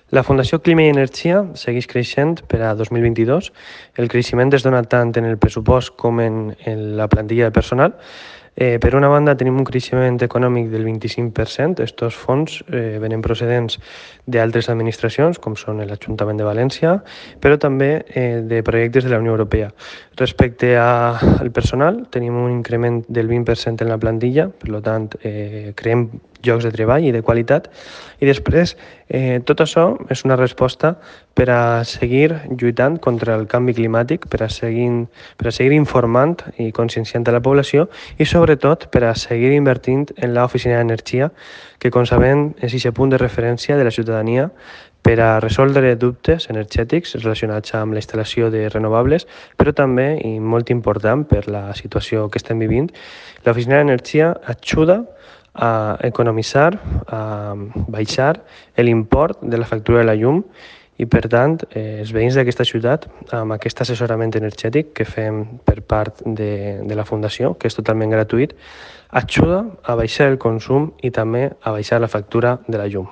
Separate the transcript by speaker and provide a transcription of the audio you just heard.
Speaker 1: La Fundació Clima i Energia segueix creixent per a 2022. El creixement es dona tant en el pressupost com en la plantilla de personal. Per una banda, tenim un creixement econòmic del 25%. Estos fons venen procedents d'altres administracions, com són l'Ajuntament de València, però també de projectes de la Unió Europea. Respecte al personal, tenim un increment del 20% en la plantilla, per tant, creem llocs de treball i de qualitat, i després tot això és una resposta per a seguir lluitant contra el canvi climàtic, per a seguir informant i conscienciant a la població i sobretot per a seguir invertint en l'oficina d'energia, que com sabem és aquest punt de referència de la ciutadania per a resoldre dubtes energètics relacionats amb la instal·lació de renovables, però també, i molt important per la situació que estem vivint, l'oficina d'energia ajuda a economitzar, a baixar l'import de la factura de la llum i, per tant, els veïns d'aquesta ciutat, amb aquest assessorament energètic que fem per part de la Fundació, que és totalment gratuït, ajuda a baixar el consum i també a baixar la factura de la llum.